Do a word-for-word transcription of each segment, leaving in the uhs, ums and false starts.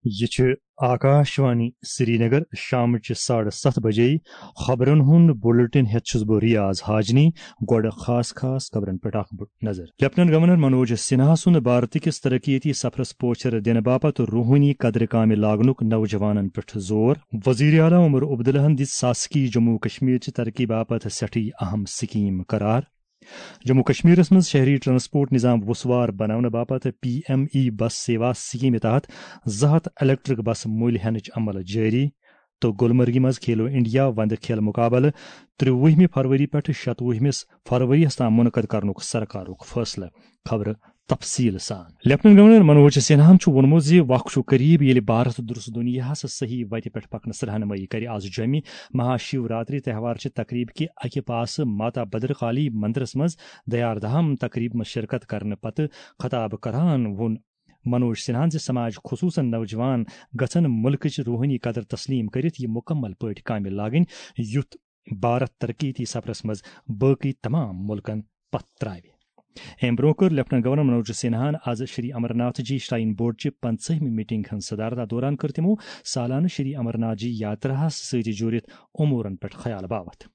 یہِ چھُ آکاش وانی سرینگر۔ شامچہِ ساڑٕ ستھ بجے خبرن ہُنٛد بلیٹن ہٮ۪تھ چھُس بہٕ ریاض حاجنی۔ گۄڈٕ خاص خاص خبرن پٮ۪ٹھ اکھ بٔڑ نظر۔ لیفٹیننٹ گورنر منوج سنہا سُنٛد بھارت کِس ترقیتی سفرس پوچھر دِنہٕ باپتھ روحٲنی قدرٕ کامہِ لاگنُک نوجوانن پٮ۪ٹھ زور۔ وزیر اعلیٰ عمر عبداللہن دِژ ساسکی جموں کشمیر چہِ ترقی باپتھ سٮ۪ٹھٕے اہم سکیٖم قرار۔ جموں کشمیرس منٛز شہری ٹرانسپورٹ نظام وسوار بناونہٕ باپتھ پی ایم ای بس سیوا سکیمہِ تحت زٕ ہتھ الیکٹرک بس مٔلۍ ہینٕچ عمل جٲری۔ تہٕ گلمرگہِ منٛز کھیلو انڈیا وندٕ کھیل مقابلہٕ ترٛوُہمہِ فروری پٮ۪ٹھ شتوُہمِس فروری یَس تام منعقد کرنُک سرکارُک فٲصلہٕ۔ خبرٕ تفصیل سان۔ لیفٹیننٹ گورنر منوج سنہاہن چھُ ووٚنمُت زِ وق چھُ قریب ییٚلہِ بھارت درست دُنیاہس صحیح وتہِ پٮ۪ٹھ پکنس رہنمٲیی کرِ۔ آز جوٚمہِ مہا شیو راتری تہوار چہِ تقریب کہِ اکہِ پاسہٕ ماتا بدرکالی مندرس منٛز دیار دھام تقریب منٛز شرکت کرنہٕ پتہٕ خطاب کران ووٚن منوج سنہاہن زِ سماج، خصوصاً نوجوان، گژھن ملکٕچ روحٲنی قدر تسلیم کٔرِتھ یہِ مکمل پٲٹھۍ کامہِ لاگٕنۍ، یُتھ بھارت ترقیتی سفرس منٛز باقی تمام ملکن پتھ تراوِ۔ امہِ برونٛہہ کٔر لیفٹیننٹ گورنر منوج سنہاہن آز شری امرناتھ جی شراین بورڈ چہِ پنژٲہمہِ میٹنگ ہٕنٛز صدارت۔ اتھ دوران کٔر تِمو سالانہٕ شری امرناتھ جی یاتراہس سۭتۍ جُڑِتھ امورن پٮ۪ٹھ خیال باوتھ۔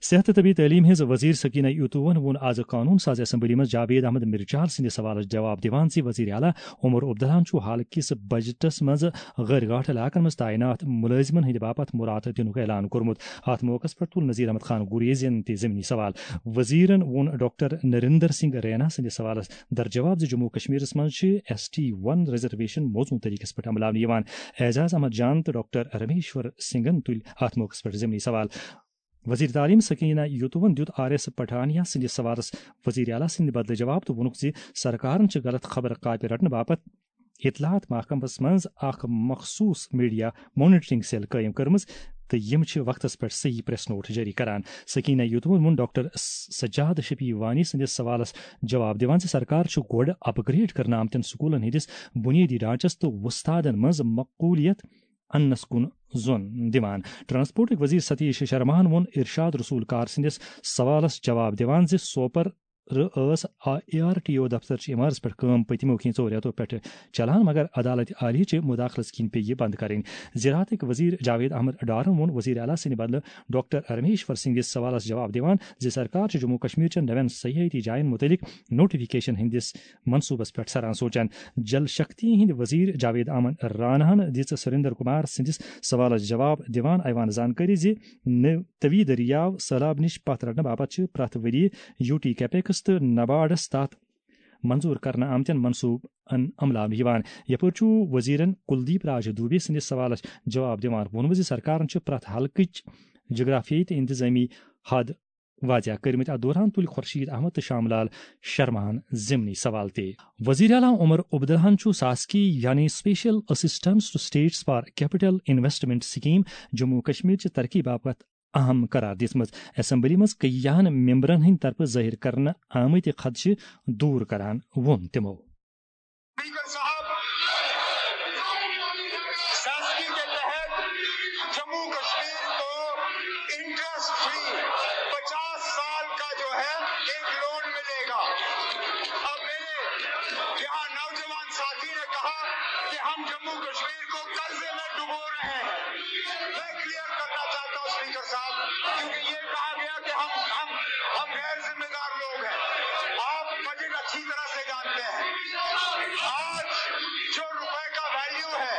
صحت تہٕ طبی تعلیٖم ہٕنٛز وزیر سکینہ یوتوون ووٚن آز قانون ساز اسمبلی منٛز جاوید احمد مرجال سٕنٛدِ سوالس جواب دِوان زِ وزیر اعلیٰ عمر عبداللہن چھُ حال کِس بجٹس منٛز غٲر گاٹھ علاقن منٛز تعینات مُلٲزمن ہٕنٛدِ باپتھ مُراتہٕ دِنُک اعلان کوٚرمُت۔ اتھ موقعس پٮ۪ٹھ تُل نذیر احمد خان گریزین تہِ ضمنی سوال۔ وزیرن ووٚن ڈاکٹر نریندر سنگھ رینا سٕنٛدِس سوالس درجواب زِ جموں کشمیرس منٛز چھِ ایس ٹی ون ریزرویشن موزوں طریقس پٮ۪ٹھ عملاونہٕ یِوان۔ اعجاز احمد جان تہٕ ڈاکٹر رمیشور سنگھن تُلۍ اتھ موقعس پٮ۪ٹھ ضمنی سوال۔ وزیر تعلیم سکینہ یوتوون دیُت آر ایس پٹھانیہ سٕنٛدِس سوالس وزیر اعلیٰ سٕنٛدِ بدلہٕ جواب تہٕ ووٚنُکھ زِ سرکارن چھِ غلط خبر کاپہِ رٹنہٕ باپتھ اطلاعات محکمس منٛز اکھ مخصوص میڈیا مانیٹرنگ سیل قٲیِم کٔرمٕژ تہٕ یِم چھِ وقتس پٮ۪ٹھ صحیح پریس نوٹ جٲری کران۔ سکینہ یوتوون ووٚن ڈاکٹر س-، سجاد شفیع وانی سٕنٛدِس سوالس جواب دِوان زِ سرکار چھُ گۄڈٕ اپ گریڈ کرنہٕ آمتٮ۪ن سکوٗلن ہٕنٛدِس بُنیٲدی ڈھانچس تہٕ وۄستادن منٛز مقبولیت اننس کُن زون دِوان۔ ٹرانسپورٹٕکۍ وزیر ستیش شرماہن ووٚن ارشاد رسول کار سٕنٛدِس سوالس جواب دِوان زِ سوپر ٲس اے آر ٹی او دفتر چہِ عمارژ پٮ۪ٹھ کٲم پٔتمیو کینٛژو رٮ۪تو پٮ۪ٹھٕ چلان، مگر عدالت عالیہ چہِ مداخلت کِنۍ پیٚیہِ یہِ بند کرٕنۍ۔ زراعتٕکۍ وزیر جاوید احمد ڈارن ووٚن وزیر اعلیٰ سٕنٛدِ بدلہٕ ڈاکٹر رمیشور سنگھس سوالس جواب دِوان زِ سرکار چھِ جموں کشمیر چٮ۪ن نوٮ۪ن سیاحتی جاین متعلق نوٹیفکیشن ہٕنٛدِس منصوبس پٮ۪ٹھ سران سونچان۔ جل شکتی ہٕنٛدۍ وزیر جاوید احمد راناہن دِژ سریندر کمار سٕنٛدِس سوالس جواب دِوان ایوان زانکٲری زِ نٔوۍ توی دٔریاو سٔہلاب نِش پتھ رٹنہٕ باپتھ چھِ پرٛٮ۪تھ ؤرۍ یہِ یوٗ ٹی کیپیکس تہٕ نباڈس تحت منظور کرنہٕ آمتٮ۪ن منصوبن عملاونہٕ یِوان۔ یپٲرۍ چھُ وزیرن کلدیپ راج دوبے سٕنٛدِس سوالس جواب دِوان ووٚنمُت زِ سرکارن چھُ پرٛٮ۪تھ حلقٕچ جغرافیٲیی تہٕ انتظامی حد واضح کٔرمٕتۍ۔ اتھ دوران تُلۍ خورشید احمد تہٕ شام لال شرماہن ضمنی سوال تہِ۔ وزیر اعلیٰ عمر عبداللہن چھُ ساسکی یعنی Special Assistance to States for Capital Investment Scheme Jammu و کشمیر چہِ ترقی باپتھ اہم قرار دِژمٕژ۔ اسمبلی منٛز کیاہن ممبرن ہٕنٛدِ طرفہٕ ظٲہِر کرنہٕ آمٕتۍ خدشہٕ دوٗر کران ووٚن تِمو۔ اسپیکر صاحب، ساسکی کے تحت جموں کشمیر کو انٹرسٹ فری پچاس سال کا جو ہے ایک لون ملے گا۔ اب میرے یہاں نوجوان ساتھی نے کہا کہ ہم جموں کشمیر کو قرضے میں ڈبو رہے ہیں۔ میں کلیئر کرنا چاہتا ہوں اسپیکر صاحب، کیونکہ یہ کہا گیا کہ ہم ہم ہم غیر ذمہ دار لوگ ہیں۔ آپ بجٹ اچھی طرح سے جانتے ہیں۔ آج جو روپے کا ویلیو ہے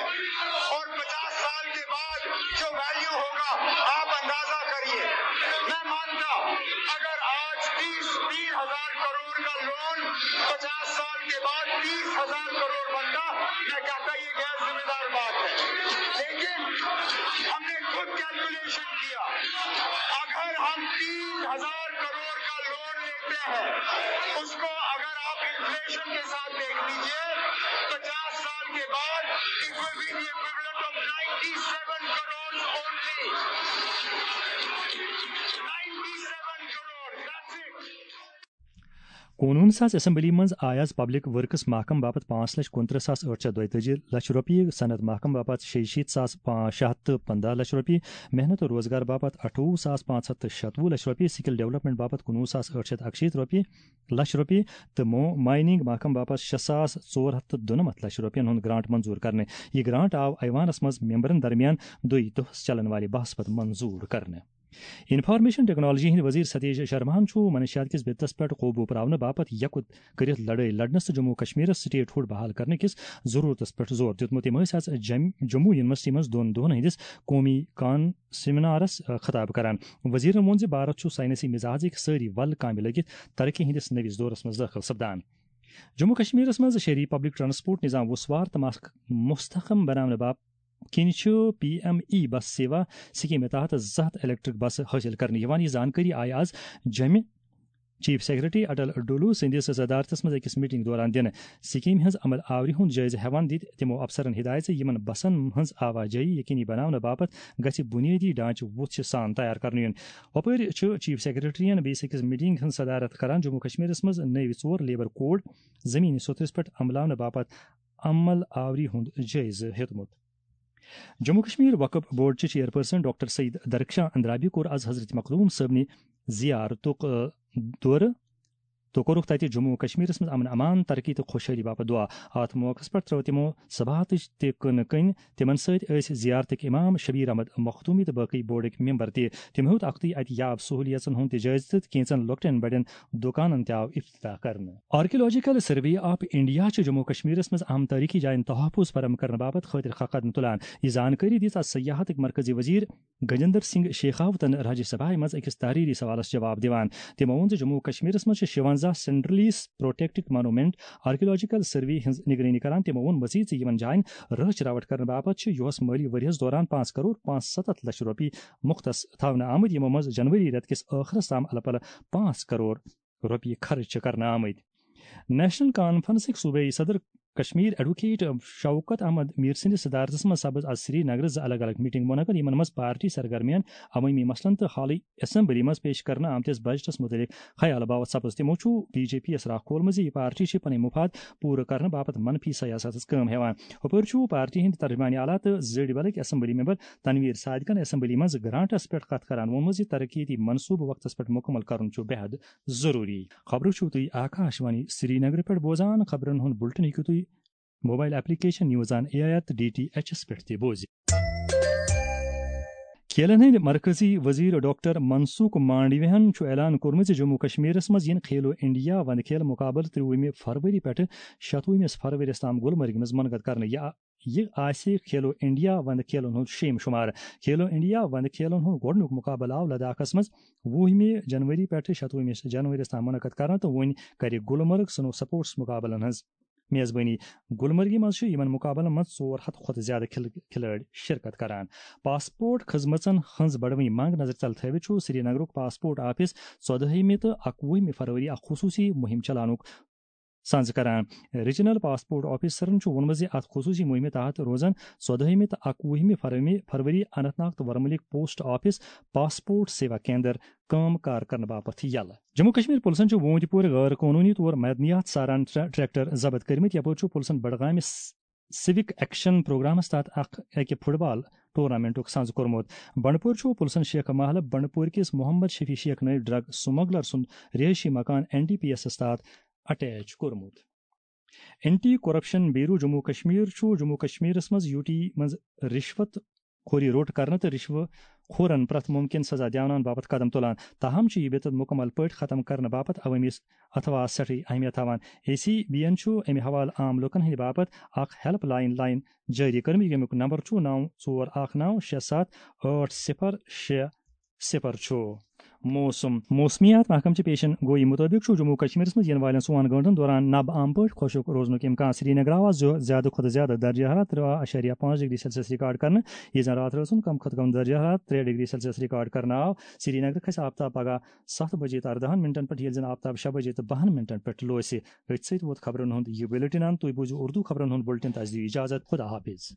اور پچاس سال کے بعد جو ویلیو ہوگا، آپ اندازہ کریے۔ میں مانتا، اگر آج تیس تین ہزار کروڑ کا لون پچاس سال کے بعد تیس ہزار کروڑ بنتا، میں کہتا یہ غیر ذمہ دار بات ہے۔ لیکن ہم نے خود کیلکولیشن کیا، اگر ہم تین ہزار کروڑ کا لون لیتے ہیں، اس کو اگر آپ انفلیشن کے ساتھ دیکھ لیجیے، پچاس سال کے بعد it will be the equivalent of ninety seven crores only. Ninety seven crores, that's it. قونوٗن ساز اسمبلی منٛز آیہِ آز پبلک ورکس محکمہٕ باپتھ پانٛژھ لچھ کُنترٕہ ساس ٲٹھ شیٚتھ دۄیہِ تٲجی لچھ رۄپیہِ، صنعت محکمہٕ باپتھ شیٚیہِ شیٖتھ ساس پانٛژھ شیٚتھ تہٕ پنٛداہ لچھ رۄپیہِ، محنت تہٕ روزگار باپتھ اَٹھووُہ ساس پانٛژھ ہَتھ تہٕ شَتوُہ لچھ رۄپیہِ، سکل ڈیولپمنٹ باپتھ کُنوُہ ساس ٲٹھ شیٚتھ اَکشیٖتھ رۄپیہِ لچھ رۄپیہِ تہٕ مو-، مایننگ محکمہٕ باپتھ شےٚ ساس ژور ہَتھ تہٕ دُنَمَتھ لچھ رۄپیَن ہُنٛد گرانٹ منظوٗر کرنہٕ۔ یہِ گرانٹ آو ایوانس منٛز ممبرن درمیان دۄیہِ دۄہس چلن والہِ بحث پتہٕ منظوٗر کرنہٕ۔ انفارمیشن ٹیکنالوجی ہٕنٛدۍ وزیر ستیش شرماہن چھُ منشیات کِس بِدتس پٮ۪ٹھ قوبوٗ پراونہٕ باپتھ یکُت کٔرِتھ لڑٲے لڑنس تہٕ جموں و کشمیرس سٹیٹ ہُڈ بحال کرنہٕ کِس ضروٗرتس پٮ۪ٹھ زور دیُتمُت۔ تِم ٲسۍ آز جم-، جموں یونیورسٹی منٛز دۄن دۄہن ہٕنٛدِس قومی کان سیمینارس، آ، خطاب کران۔ وزیرن ووٚن زِ بھارت چھُ ساینسی مزاجٕکۍ سٲری ول کامہِ لٔگِتھ ترقی ہٕنٛدِس نٔوِس دورس منٛز دٲخل سپدان۔ جموں و کشمیرس منٛز شہری پبلک ٹرانسپورٹ نظام وُسوار تہٕ مس-، مستحکم بناونہٕ باپتھ کِنۍ چھُ پی ایم ای بس سیوا سکیمہِ تحت زٕ ہَتھ الیکٹرک بسہٕ حٲصِل کرنہٕ یِوان۔ یہِ زانکٲری آیہِ آز جمہِ چیف سیکرٹری اٹل ڈولو سٕنٛدِس صدارتس منٛز أکِس میٹنگ دوران دِنہٕ۔ سکیمہِ ہٕنٛز عمل آوری ہُنٛد جٲیزٕ ہٮ۪وان دِتۍ تِمو افسرن ہدایت زِ یِمن بسن ہٕنٛز آواجٲہی یقینی بناونہٕ باپتھ گژھِ بُنیٲدی ڈھانچہٕ وُژھ سان تیار کرنہٕ یُن۔ ہُپٲرۍ چھُ چیف سیکرٹریَن بیٚیِس أکِس میٹنگ ہٕنٛز صدارت کران جموں کشمیرس منٛز نٔوۍ ژور لیبر کوڈ زمینی سوٚتھرِس پٮ۪ٹھ عملاونہٕ باپتھ عمل آوری ہُنٛد جٲیزٕ ہیوٚتمُت۔ جموں کشمیر وقف بورڈ چہِ چیئرپرسن ڈاکٹر سعید درخشاں اندرابی کوٚر از حضرت مخدوم صٲبنہِ زیارتُک، آ، دورٕ تہٕ کوٚرُکھ تتہِ جموں و کشمیرس منٛز امن امان، ترقی تہٕ خۄشحٲلی باپتھ دعا۔ اتھ موقعس پٮ۪ٹھ ترٲو تِمو صباحتٕچ تہِ کٕنہٕ کٔنۍ۔ تِمن سۭتۍ ٲسۍ زیارتٕکۍ امام شبیر احمد مخدومی تہٕ باقی بورڈٕکۍ ممبر تہِ۔ تِم ہیوٚت اکھتُے اتہِ یاب سہولیژن ہُنٛد تہِ جٲیزٕ تہٕ کینژن لۄکٹٮ۪ن بڑٮ۪ن دُکانن تہِ آو افتتاح کرنہٕ۔ آرکیولوجیکل سروے آف انڈیا چھُ جموں و کشمیرس منٛز اہم تٲریخی جاین تحفظ فراہم کرنہٕ باپتھ خٲطرٕ خاکہ قدم تُلان۔ یہِ زانکٲری دِژ از سیاحتٕکۍ مرکزی وزیر گجندر سنگھ شیخاوتن راجیہ سبھایہ منٛز أکِس تحریری سوالس جواب دِوان۔ تِمو ووٚن زِ جموں و کشمیرس منٛز چھِ شُوَنزاہ centrally protected monument archaeological survey ہٕنٛز نگرٲنی کران۔ تِمو ووٚن مزید زِ یِمن جاین رٲچھ راوٹھ کرنہٕ باپتھ چھِ یُہس مٲلی ؤریس دوران پانٛژھ کرور پانٛژھ ستتھ لچھ رۄپیہِ مختص تھاونہٕ آمٕتۍ، یِمو منٛز جنوری رٮ۪تہٕ کِس ٲخرس تام الہٕ پلہٕ پانٛژھ کرور رۄپیہِ خرٕچ چھِ کرنہٕ آمٕتۍ۔ نیشنل کانفرنسٕکۍ صوبٲئی صدر کشمیر ایڈووکیٹ شوکت احمد میر سٕنٛدِس صدارتس منٛز سپٕز از سری نگرٕ زٕ الگ الگ میٹنگ منعقد، یِمن منٛز پارٹی سرگرمیَن عوٲمی مسلن تہٕ حالٕے اسمبلی منٛز پیش کرنہٕ آمتِس بجٹس مُتعلق خیال باوتھ سپٕز۔ تِمو چھُ بی جے پی یَس راکھ کھولمُت زِ یہِ پارٹی چھِ پنٕنۍ مفاد پوٗرٕ کرنہٕ باپتھ منفی سیاستس کٲم ہٮ۪وان۔ ہُپٲرۍ چھُ پارٹی ہٕنٛدۍ ترجمان اعلیٰ تہٕ زٔڑۍ بلٕکۍ اسمبلی ممبر تنویر صادقن اسمبلی منٛز گرانٹس پٮ۪ٹھ کتھ کران ووٚنمُت زِ ترقیتی منصوبہٕ وقتس پٮ۪ٹھ مکمل کرُن چھُ بے حد ضروٗری۔ خبرٕ چھِو تُہۍ آکاش وانی سرینگرٕ پٮ۪ٹھ بوزان۔ خبرن ہُنٛد بلٹن ہیٚکِو تُہۍ mobile application news on A I R تہٕ ڈی ٹی ایچ ایس پٮ۪ٹھ تہِ بوزِتھ۔ کھیلن ہٕنٛدۍ مرکزی وزیر ڈاکٹر منسوخ مانڈویہن چھُ اعلان کوٚرمُت زِ جموں کشمیرس منٛز یِن کھیلو انڈیا وندٕ کھیل مقابلہٕ ترٛوُہمہِ فروری پٮ۪ٹھٕ شَتوُہمِس فروری تام گلمرگہِ منٛز منعقد کرنہٕ۔ یہِ یہِ آسہِ کھیلو انڈیا وندٕ کھیلن ہُنٛد شیٚیِم شُمار۔ کھیلو انڈیا وندٕ کھیلن ہُنٛد گۄڈٕنیُک مُقابلہٕ آو لداخس منٛز وُہمہِ جنوری پٮ۪ٹھٕ شَتوُہمِس جنوریَس تام منعقد کرنہٕ تہٕ وۄنۍ کرِ گُلمرگ سنو سپورٹس مُقابلن ہٕنٛز میزبٲنی۔ گُلمرگہِ منٛز چھُ یِمن مُقابلن منٛز ژور ہَتھ کھۄتہٕ زِیٛادٕ کھل-، کھلٲڑۍ شرکت کران۔ پاسپورٹ خدمژن ہٕنٛز بڑوٕنۍ منگ نظرِ تل تھٲوِتھ چھُ سرینگرُک پاسپورٹ آفس ژۄدہمہِ تہٕ اَکوُہمہِ فروری اکھ خصوٗصی مُہِم چلاونُک سنز کران۔ ریجنل پاسپورٹ آفیسرن چھُ ووٚنمُت زِ اتھ خصوٗصی مُہِمہِ تحت روزن ژۄدہمہِ تہٕ اَکوُہمہِ فروری، فروری اننت ناگ تہٕ ورمُلٕکۍ post office passport Seva Kendra کٲم کار کرنہٕ باپتھ یلہٕ۔ جموں کشمیر پُلسن چھُ ووٗنٛتہِ پورِ غٲر قونوٗنی طور معدنیات ساران ٹرٛ-، ٹریکٹر ضبط کٔرمٕتۍ، یپٲرۍ چھُ پُلسن بڈگامہِ س-، سِوک ایکشن پروگرامس تحت اکھ، اکہِ فٹ بال ٹورنامنٹُک سنز کوٚرمُت۔ بنڈپور چھُ پُلسن شیخ محلہٕ بنڈپور کِس محمد شفیع شیخ نٲوۍ ڈرگ سمگلر سُنٛد رہٲیشی مکان این ڈی پی ایسس تحت اٹیچ کوٚرمُت۔ Anti Corruption Bureau Jammu Kashmir چھُ جموں کشمیرس منٛز یو ٹی منٛز رشوت خوری روٚٹ کرنہٕ تہٕ رشوٕ خورن پرٛٮ۪تھ مُمکِن سزا دیاوناون باپتھ قدم تُلان، تاہم چھُ یہِ بدعت مُکمل پٲٹھۍ ختم کرنہٕ باپتھ عوٲمی اتھواہس سٮ۪ٹھٕے اہمیت تھاوان۔ اے سی بی یَن چھُ امہِ حوالہٕ عام لوٗکن ہٕنٛدِ باپتھ اکھ ہیلپ لائن، لائن جٲری کٔرمٕژ، ییٚمیُک نمبر چھُ نَو ژور اکھ نَو شےٚ ستھ ٲٹھ صفر شےٚ صفر چھُ۔ موسم۔ موسمیات محکمہٕ چہِ پیشن گویی مُطٲبِق چھُ جموں و کشمیرس منٛز یِنہٕ والٮ۪ن ژۄن گٲنٛٹن دوران نبہٕ عام پٲٹھۍ خۄشک روزنُک امکان۔ سرینگرٕ آو زیادٕ کھۄتہٕ زیادٕ درجہ حرارت ترٛےٚ اَشاریہ پانٛژھ ڈگری سیلسیس ریکارڈ کرنہٕ، ییٚلہِ زن راتھ رٲژ ہُنٛد کم کھۄتہٕ کم درجہ حرارت ترٛےٚ ڈگری سیلسیس ریکارڈ کرنہٕ آو۔ سرینگرٕ کھسہِ آفتاب پگہہ ستھ بجے تہٕ ارداہن منٹن پٮ۪ٹھ، ییٚلہِ زن آفتاب شےٚ بجے تہٕ بَہَن منٹن پٮ۪ٹھ لوسہِ۔ أتھۍ سۭتۍ ووت خبرن ہُنٛد یہِ بُلٹن اند۔ تُہۍ بوٗزِو اردو خبرن ہُنٛد بُلٹن۔ تس دِیِو اجازت۔ خدا حافظ۔